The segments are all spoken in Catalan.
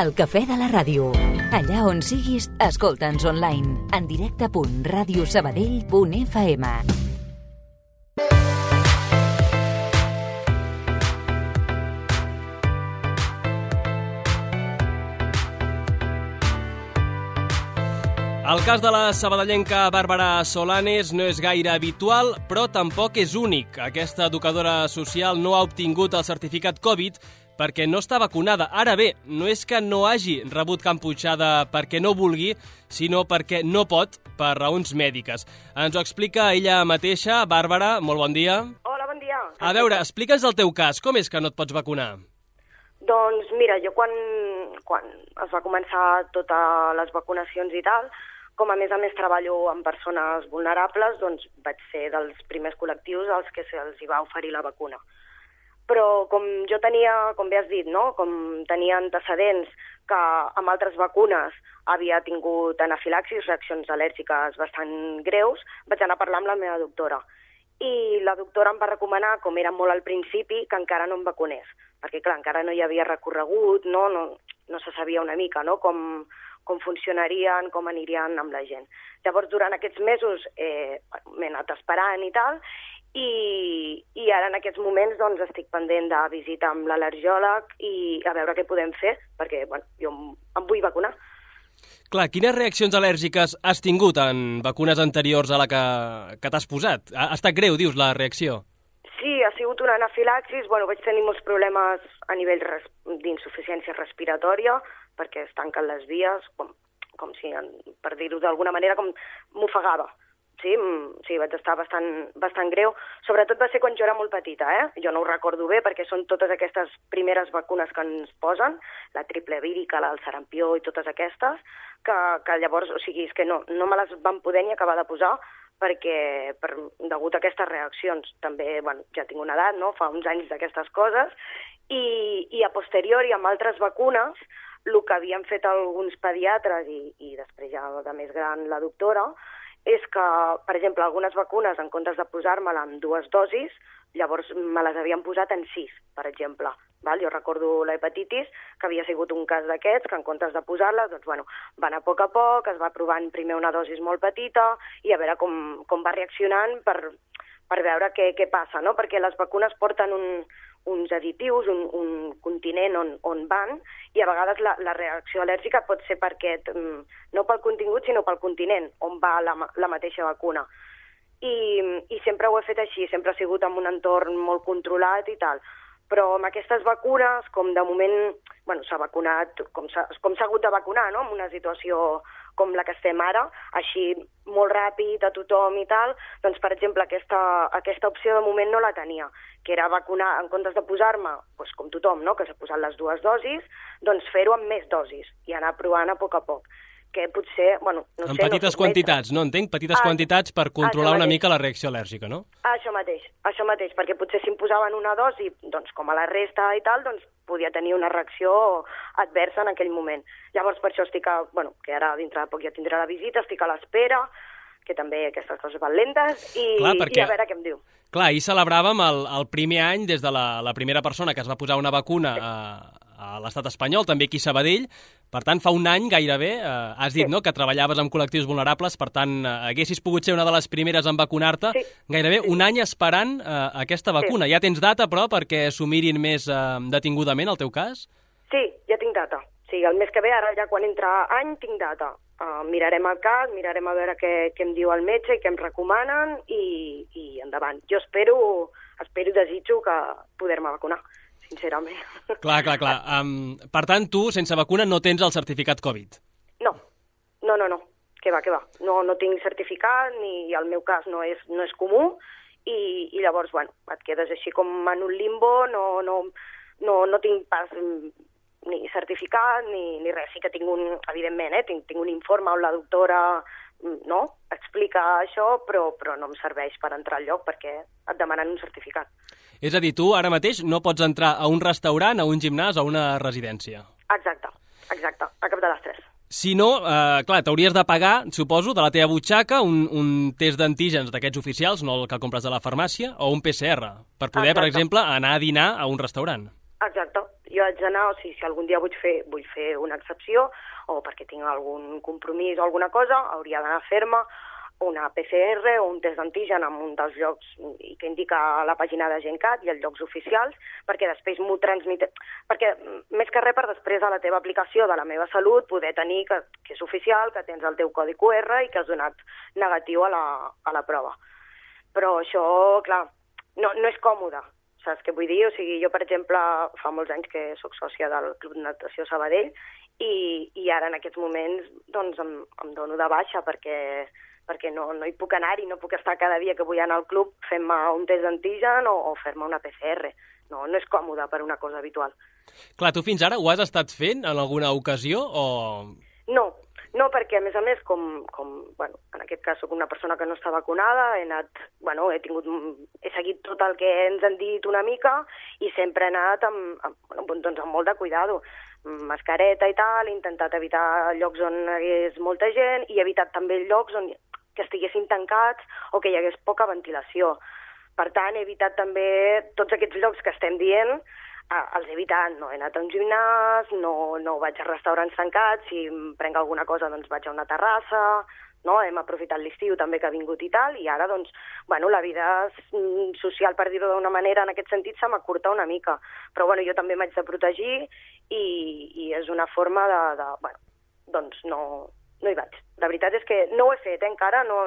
El cafè de la ràdio. Allà on siguis, escolta'ns online. En directe.radiosabadell.fm. El cas de la sabadellenca Bàrbara Solanes no és gaire habitual, però tampoc és únic. Aquesta educadora social no ha obtingut el certificat Covid perquè no està vacunada. Ara bé, no és que no hagi rebut Camputxada perquè no vulgui, sinó perquè no pot, per raons mèdiques. Ens ho explica ella mateixa. Bàrbara, molt bon dia. Hola, bon dia. A veure, explica'ns el teu cas. Com és que no et pots vacunar? Doncs mira, jo quan es va començar totes les vacunacions i tal, com a més treballo amb persones vulnerables, doncs vaig ser dels primers col·lectius als que se'ls va oferir la vacuna. Però com jo tenia, com bé has dit, no? Com tenia antecedents que amb altres vacunes havia tingut anafilaxis, reaccions al·lèrgiques bastant greus, vaig anar a parlar amb la meva doctora. I la doctora em va recomanar, com era molt al principi, que encara no em vacunés, perquè clar, encara no hi havia recorregut, no se sabia una mica, no? Com funcionarien, com anirien amb la gent. Llavors, durant aquests mesos m'he anat esperant i tal, i ara en aquests moments doncs, estic pendent de visita amb l'al·lergiòleg i a veure què podem fer, perquè jo em vull vacunar. Clar, quines reaccions al·lèrgiques has tingut en vacunes anteriors a la que t'has posat? Ha estat greu, dius, la reacció? Sí, ha sigut una anafilaxis. Vaig tenir molts problemes a nivell d'insuficiència respiratòria, perquè es tanquen les vies, com si, per dir-ho d'alguna manera, com m'ofegava. Sí, vaig estar bastant greu. Sobretot va ser quan jo era molt petita, Jo no ho recordo bé perquè són totes aquestes primeres vacunes que ens posen, la triple vírica, el sarampió i totes aquestes, que llavors, o sigui, és que no me les van poder ni acabar de posar perquè, degut a aquestes reaccions, també, ja tinc una edat, no? Fa uns anys d'aquestes coses, i a posteriori, amb altres vacunes, el que havien fet alguns pediatres i després ja de més gran la doctora, és que, per exemple, algunes vacunes, en comptes de posar-me-la en 2 dosis, llavors me les havien posat en 6, per exemple. Jo recordo l'hepatitis, que havia sigut un cas d'aquests, que en comptes de posar-la, doncs, va anar a poc, es va provant primer una dosis molt petita i a veure com va reaccionant per veure què passa, no? Perquè les vacunes porten uns additius, un continent on van, i a vegades la reacció al·lèrgica pot ser perquè, no pel contingut, sinó pel continent, on va la mateixa vacuna. I sempre ho he fet així, sempre ha sigut en un entorn molt controlat i tal. Però amb aquestes vacunes, com de moment s'ha vacunat, com s'ha hagut de vacunar, no? En una situació com la que estem ara, així molt ràpid a tothom i tal, doncs, per exemple, aquesta opció de moment no la tenia, que era vacunar, en comptes de posar-me, com tothom, no? Que s'ha posat les 2 dosis, doncs fer-ho amb més dosis i anar provant a poc, que potser, no sé... En petites quantitats, no entenc? Petites quantitats per controlar una mica la reacció al·lèrgica, no? Això mateix, perquè potser si em posaven una dosi, doncs com a la resta i tal, doncs podia tenir una reacció adversa en aquell moment. Llavors per això estic, que ara dintre de poc ja tindré la visita, estic a l'espera, que també aquestes coses van lentes, i a veure què em diu. Clar, ahir celebràvem el primer any des de la primera persona que es va posar una vacuna a l'estat espanyol, també aquí a Sabadell. Per tant, fa un any gairebé, has dit, no?, que treballaves amb col·lectius vulnerables, per tant, haguessis pogut ser una de les primeres en vacunar-te. Gairebé un any esperant aquesta vacuna. Ja tens data, però, perquè s'ho mirin més detingudament, el teu cas? Sí, ja tinc data. Sí, el mes que ve, ara ja quan entra any, tinc data. Mirarem el cas, mirarem a veure què em diu el metge i què em recomanen i endavant. Jo espero i desitjo que poder-me vacunar, sincerament. Clar. Per tant, tu, sense vacuna, no tens el certificat Covid? No. Què va. No tinc certificat, ni el meu cas no és comú, i llavors, et quedes així com en un limbo, no tinc pas ni certificat ni res. Sí que tinc evidentment, tinc un informe on la doctora explica això, però no em serveix per entrar al lloc perquè et demanen un certificat. És a dir, tu ara mateix no pots entrar a un restaurant, a un gimnàs o a una residència. Exacte, a cap de les 3. Si no, clar, t'hauries de pagar, suposo, de la teva butxaca un test d'antígens d'aquests oficials, no el que compres a la farmàcia, o un PCR, per poder, per exemple, anar a dinar a un restaurant. Exacte. jo haig d'anar, o sigui, si algun dia vull fer una excepció, o perquè tinc algun compromís o alguna cosa, hauria d'anar a fer-me una PCR o un test d'antigen en un dels llocs que indica la pàgina de GenCat i els llocs oficials, perquè després m'ho transmet... Perquè més que res per després a la teva aplicació de la meva salut poder tenir que és oficial, que tens el teu codi QR i que has donat negatiu a la prova. Però això, clar, no és còmode, saps què vull dir? O sigui, jo, per exemple, fa molts anys que sóc sòcia del Club de Natació Sabadell i ara en aquests moments doncs em dono de baixa perquè no hi puc anar-hi, no puc estar cada dia que vull anar al club fent-me un test d'antigen o fer-me una PCR. No és còmode per una cosa habitual. Clar, tu fins ara ho has estat fent en alguna ocasió o...? No, perquè a més, bueno, en aquest cas soc una persona que no està vacunada, he seguit tot el que ens han dit una mica i sempre he anat amb molt de cuidado. Mascareta i tal, he intentat evitar llocs on hi hagués molta gent i he evitat també llocs que estiguessin tancats o que hi hagués poca ventilació. Per tant, he evitat també tots aquests llocs que estem dient, els he evitat. No he anat a un gimnàs, no vaig a restaurants tancats, si em prenc alguna cosa doncs vaig a una terrassa, no? Hem aprofitat l'estiu també que ha vingut i tal, i ara doncs, bueno, la vida social, per dir-ho d'una manera, en aquest sentit se m'acurta una mica. Però bueno, jo també m'haig de protegir i és una forma bueno, doncs no hi vaig. La veritat és que no ho he fet, encara, no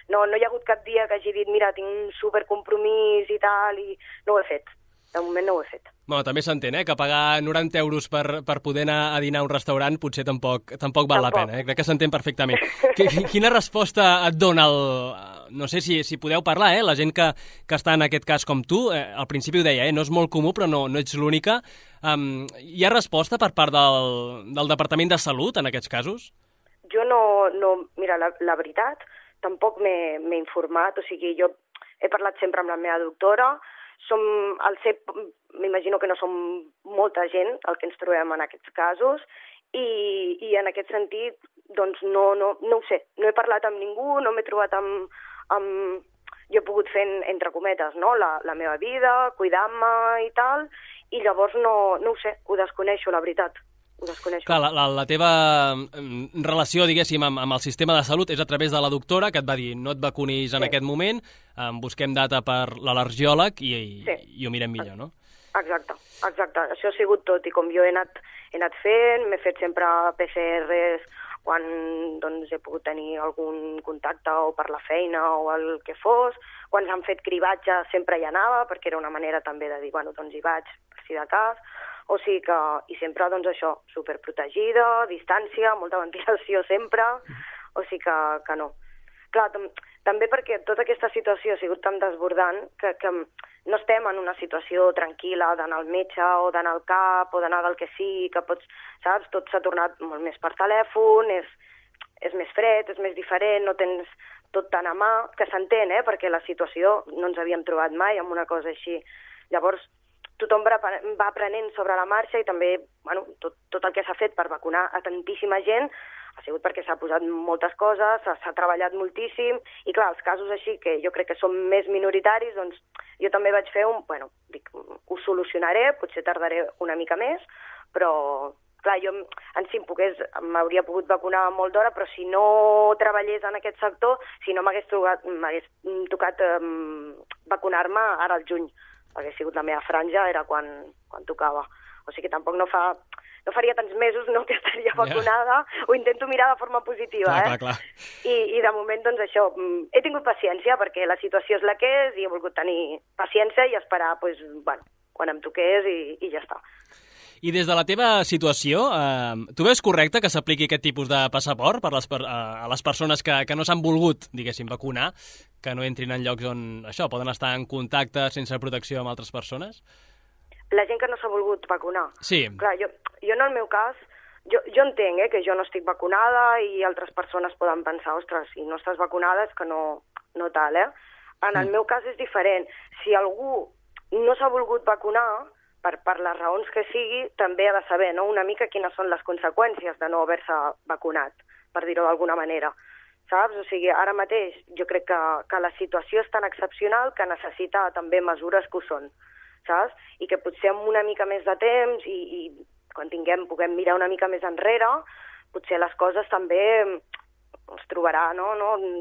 hi ha hagut cap dia que hagi dit mira, tinc un supercompromís i tal, i no ho he fet. De moment no ho he fet. Bueno, també s'entén, que pagar 90 euros per poder anar a dinar a un restaurant potser tampoc val la pena. Crec que s'entén perfectament. Quina resposta et dona no sé si podeu parlar, la gent que està en aquest cas com tu, al principi ho deia, no és molt comú, però no ets l'única. Hi ha resposta per part del Departament de Salut en aquests casos? Jo mira, la veritat, tampoc m'he informat, o sigui, jo he parlat sempre amb la meva doctora, m'imagino que no som molta gent el que ens trobem en aquests casos i en aquest sentit doncs no ho sé, no he parlat amb ningú, no m'he trobat amb... Jo he pogut fer, entre cometes, no? la meva vida, cuidant-me i tal, i llavors no ho sé, ho desconeixo, la veritat. Clar, la teva relació, diguéssim, amb el sistema de salut és a través de la doctora, que et va dir no et vacunis en aquest moment, busquem data per l'al·lergiòleg i ho mirem millor, no? Exacte. Això ha sigut tot, i com jo he anat fent, m'he fet sempre PCRs quan doncs, he pogut tenir algun contacte o per la feina o el que fos. Quan s'han fet cribatge sempre hi anava, perquè era una manera també de dir, bueno, doncs hi vaig, per si de cas. O sigui que, i sempre, doncs això, superprotegida, distància, molta ventilació sempre, o sigui que no. Clar, també perquè tota aquesta situació ha sigut tan desbordant que no estem en una situació tranquil·la d'anar al metge o d'anar al CAP o d'anar del que sigui, que pots, saps, tot s'ha tornat molt més per telèfon, és més fred, és més diferent, no tens tot tan a mà, que s'entén, perquè la situació no ens havíem trobat mai amb una cosa així. Llavors, tothom va aprenent sobre la marxa i també bueno, tot el que s'ha fet per vacunar a tantíssima gent ha sigut perquè s'ha posat moltes coses, s'ha treballat moltíssim i clar, els casos així que jo crec que són més minoritaris, doncs jo també vaig fer ho solucionaré, potser tardaré una mica més, però clar, jo en si m'hauria pogut vacunar molt d'hora, però si no treballés en aquest sector, si no m'hagués tocat vacunar-me ara al juny, perquè ha sigut la meva franja, era quan tocava. O sigui que tampoc no faria tants mesos que estaria vacunada, ho intento mirar de forma positiva. Clar. I de moment, doncs això, he tingut paciència perquè la situació és la que és i he volgut tenir paciència i esperar, doncs, bueno, quan em toqués i ja està. I des de la teva situació, tu veus correcte que s'apliqui aquest tipus de passaport a les persones que no s'han volgut, diguéssim, vacunar, que no entrin en llocs on això poden estar en contacte sense protecció amb altres persones? La gent que no s'ha volgut vacunar? Sí. Clar, jo en el meu cas, jo entenc que jo no estic vacunada i altres persones poden pensar, ostres, si no estàs vacunada és que no tal, En el meu cas és diferent. Si algú no s'ha volgut vacunar, per les raons que sigui, també ha de saber una mica quines són les conseqüències de no haver-se vacunat, per dir-ho d'alguna manera. Saps? O sigui, ara mateix jo crec que la situació és tan excepcional que necessita també mesures que ho són. saps? I que potser amb una mica més de temps i quan puguem mirar una mica més enrere, potser les coses també es trobarà, no?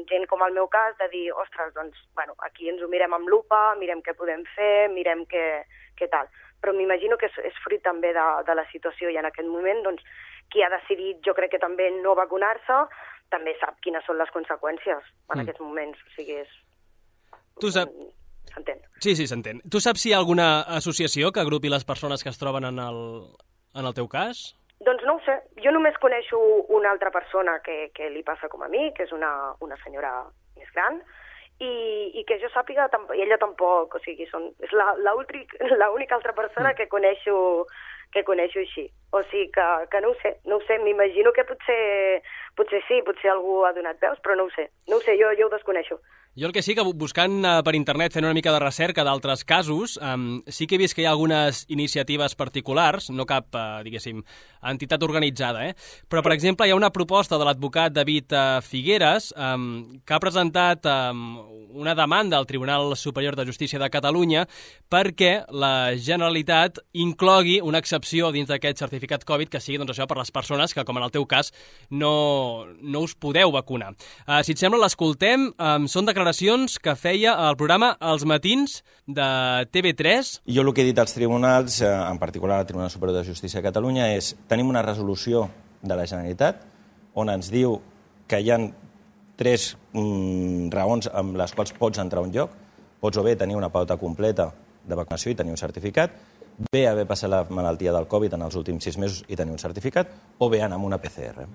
Gent com el meu cas, de dir, ostres, doncs, bueno, aquí ens ho mirem amb lupa, mirem què podem fer, mirem què tal. Però m'imagino que és fruit també de la situació, i en aquest moment, doncs, qui ha decidit, jo crec que també no vacunar-se, també sap quines són les conseqüències en aquests moments. O sigui, s'entén. Sí, s'entén. Tu saps si hi ha alguna associació que agrupi les persones que es troben en el teu cas? Doncs no ho sé. Jo només coneixo una altra persona que li passa com a mi, que és una senyora més gran, i que jo sàpiga, i ella tampoc, o sigui, és l'única altra persona que coneixo així. O sigui que no ho sé, m'imagino que potser sí, potser algú ha donat veus, però no ho sé, jo ho desconeixo. Jo el que sí, que buscant per internet, fent una mica de recerca d'altres casos, sí que he vist que hi ha algunes iniciatives particulars, no cap, diguéssim, entitat organitzada, però, per exemple, hi ha una proposta de l'advocat David Figueres que ha presentat una demanda al Tribunal Superior de Justícia de Catalunya perquè la Generalitat inclogui una excepció dins d'aquest certificat Covid que sigui, doncs, això per les persones que, com en el teu cas, no us podeu vacunar. Si et sembla, l'escoltem. Són declaracions que feia al programa Els Matins de TV3. Jo el que he dit als tribunals, en particular al Tribunal Superior de Justícia de Catalunya, és tenim una resolució de la Generalitat on ens diu que hi ha 3 raons amb les quals pots entrar a un lloc. Pots o bé tenir una pauta completa de vacunació i tenir un certificat, bé haver passat la malaltia del Covid en els últims 6 mesos i tenir un certificat, o bé anar amb una PCR.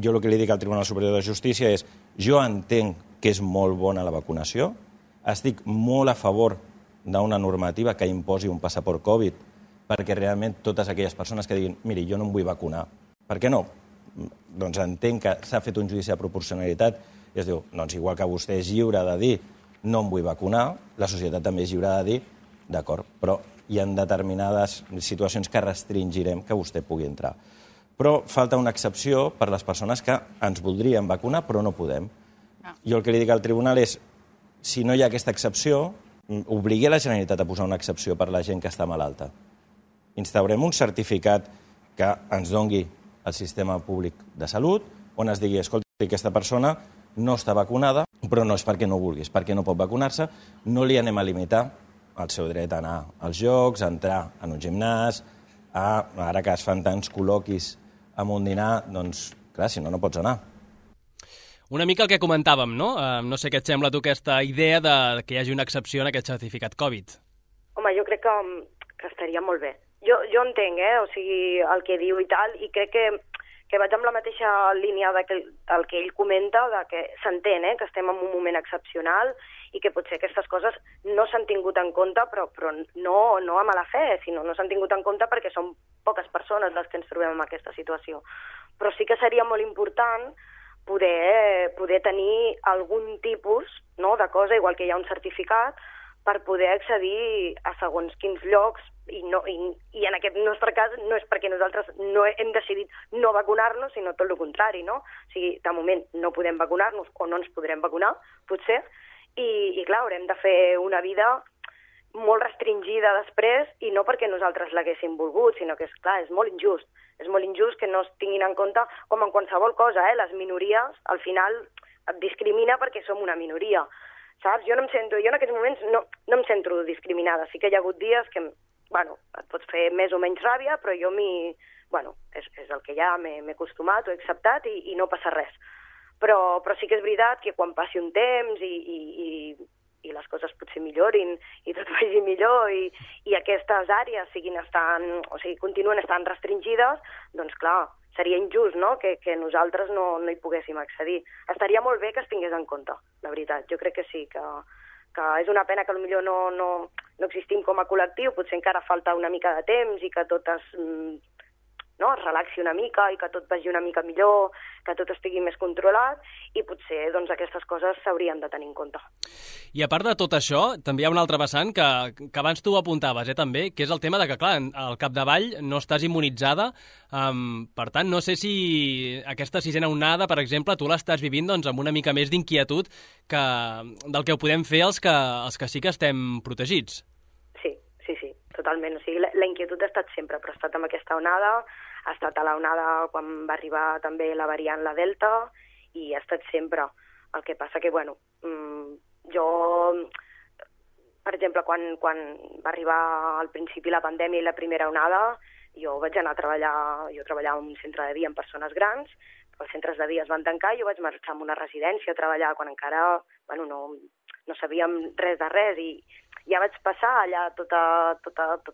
Jo el que li dic al Tribunal Superior de Justícia és jo entenc que és molt bona la vacunació, estic molt a favor d'una normativa que imposi un passaport Covid perquè realment totes aquelles persones que diguin miri, jo no em vull vacunar, per què no? Doncs entenc que s'ha fet un judici de proporcionalitat i es diu, doncs igual que vostè és lliure de dir no em vull vacunar, la societat també és lliure de dir d'acord, però hi ha determinades situacions que restringirem que vostè pugui entrar. Però falta una excepció per les persones que ens voldrien vacunar però no podem. Jo el que li dic al tribunal és, si no hi ha aquesta excepció, obligui la Generalitat a posar una excepció per la gent que està malalta. Instaurem un certificat que ens dongui el sistema públic de salut, on es digui, escolta, aquesta persona no està vacunada, però no és perquè no vulgui, és perquè no pot vacunar-se, no li anem a limitar el seu dret a anar als jocs, a entrar en un gimnàs, ara que es fan tants col·loquis amb un dinar, doncs, clar, si no, no pots anar. Una mica el que comentàvem, no? No sé què et sembla tu aquesta idea de que hi hagi una excepció en aquest certificat Covid. Home, jo crec que estaria molt bé. Jo entenc, o sigui, el que diu i tal, i crec que vaig amb la mateixa línia del que ell comenta, de que s'entén, que estem en un moment excepcional i que potser aquestes coses no s'han tingut en compte, però no a mala fe, sinó no s'han tingut en compte perquè són poques persones les que ens trobem en aquesta situació. Però sí que seria molt important poder tenir algun tipus de cosa, igual que hi ha un certificat, per poder accedir a segons quins llocs, i en aquest nostre cas no és perquè nosaltres no hem decidit no vacunar-nos, sinó tot el contrari, no? O sigui, de moment no podem vacunar-nos o no ens podrem vacunar, potser, i clar, haurem de fer una vida molt restringida després, i no perquè nosaltres l'haguéssim volgut, sinó que, clar, és molt injust. És molt injust que no es tinguin en compte, com en qualsevol cosa, les minories, al final, et discrimina perquè som una minoria, saps? Jo en aquests moments no em sento discriminada. Sí que hi ha hagut dies que, et pots fer més o menys ràbia, però jo és el que hi ha, m'he acostumat, ho he acceptat i no passa res. Però sí que és veritat que quan passi un temps i les coses potser millorin i tot vagi millor i aquestes àrees continuen estant restringides, doncs clar, seria injust, no?, que nosaltres no hi poguéssim accedir. Estaria molt bé que es tingués en compte, la veritat. Jo crec que sí, que és una pena que potser no existim com a col·lectiu, potser encara falta una mica de temps i que tot es relaxi una mica i que tot vagi una mica millor, que tot estigui més controlat, i potser aquestes coses s'haurien de tenir en compte. I a part de tot això, també hi ha un altre vessant que abans tu ho apuntaves, també, que és el tema de que, clar, al capdavall no estàs immunitzada, per tant, no sé si aquesta sisena onada, per exemple, tu l'estàs vivint amb una mica més d'inquietud del que ho podem fer els que sí que estem protegits. Sí, totalment. O sigui, la inquietud ha estat sempre, però ha estat amb aquesta onada, ha estat a l'onada quan va arribar també la variant, la Delta, i ha estat sempre. El que passa que, bueno, jo, per exemple, quan va arribar al principi la pandèmia i la primera onada, jo vaig anar a treballar, jo treballava en un centre de dia amb persones grans, els centres de dia es van tancar i jo vaig marxar a una residència a treballar quan encara, bueno, no sabíem res de res, i ja vaig passar allà tots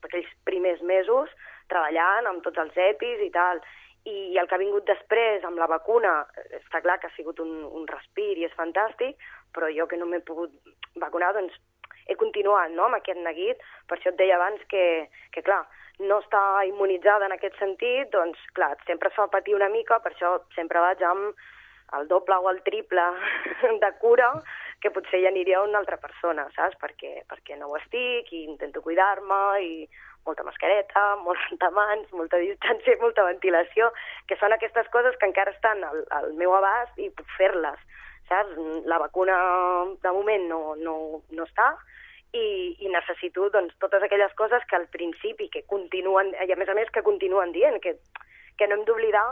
aquells primers mesos treballant amb tots els EPIs i tal. I el que ha vingut després amb la vacuna, està clar que ha sigut un respir i és fantàstic, però jo que no m'he pogut vacunar, doncs he continuat, no?, amb aquest neguit. Per això et deia abans que clar, no està immunitzada en aquest sentit, doncs clar, sempre es fa patir una mica, per això sempre vaig amb el doble o el triple de cura, que potser hi aniria una altra persona, saps? Perquè no ho estic i intento cuidar-me i molta mascareta, molt rentamans, molta distància i molta ventilació, que són aquestes coses que encara estan al meu abast i puc fer-les, saps? La vacuna de moment no està i necessito doncs, totes aquelles coses que al principi que continuen, i a més que continuen dient, que no hem d'oblidar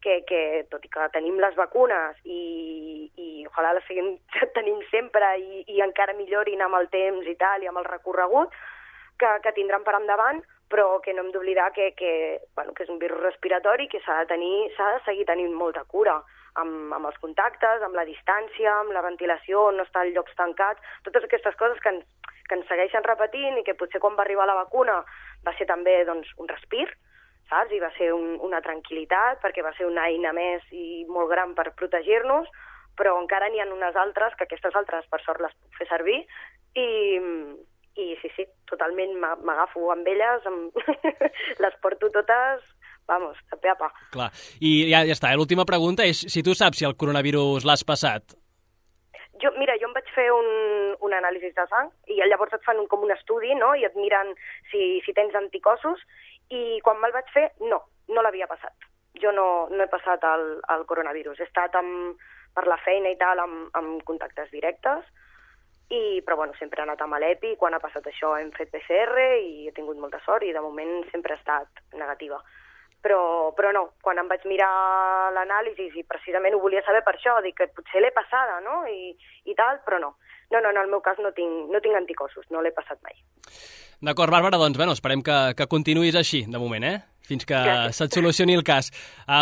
que tot i que tenim les vacunes i ojalà les seguim tenint sempre i encara millorin amb el temps i tal, i amb el recorregut que tindran per endavant, però que no hem d'oblidar que és un virus respiratori que s'ha de seguir tenint molta cura amb els contactes, amb la distància, amb la ventilació, no estar en llocs tancats, totes aquestes coses que ens segueixen repetint i que potser quan va arribar la vacuna va ser també doncs, un respir, saps? I va ser una tranquil·litat, perquè va ser una eina més i molt gran per protegir-nos, però encara n'hi ha unes altres, que aquestes altres, per sort, les puc fer servir, i sí, totalment m'agafo amb elles, les porto totes, vamos, de pe a pa. Clar, i ja està, l'última pregunta és si tu saps si el coronavirus l'has passat. Mira, jo em vaig fer un anàlisi de sang, i llavors et fan com un estudi, no?, i et miren si tens anticossos, i quan me'l vaig fer, no l'havia passat. Jo no he passat el coronavirus. He estat per la feina i tal amb contactes directes, però bueno, sempre he anat amb l'EPI. Quan ha passat això hem fet PCR i he tingut molta sort i de moment sempre he estat negativa. Però no, quan em vaig mirar l'anàlisi i precisament ho volia saber per això, dic que potser l'he passada, no?, i tal, però no. No, en el meu cas no tinc anticossos, no l'he passat mai. D'acord, Bàrbara, doncs esperem que continuïs així, de moment, fins que se't solucioni el cas.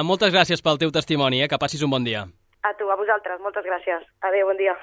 Moltes gràcies pel teu testimoni, que passis un bon dia. A tu, a vosaltres, moltes gràcies. Adéu, bon dia.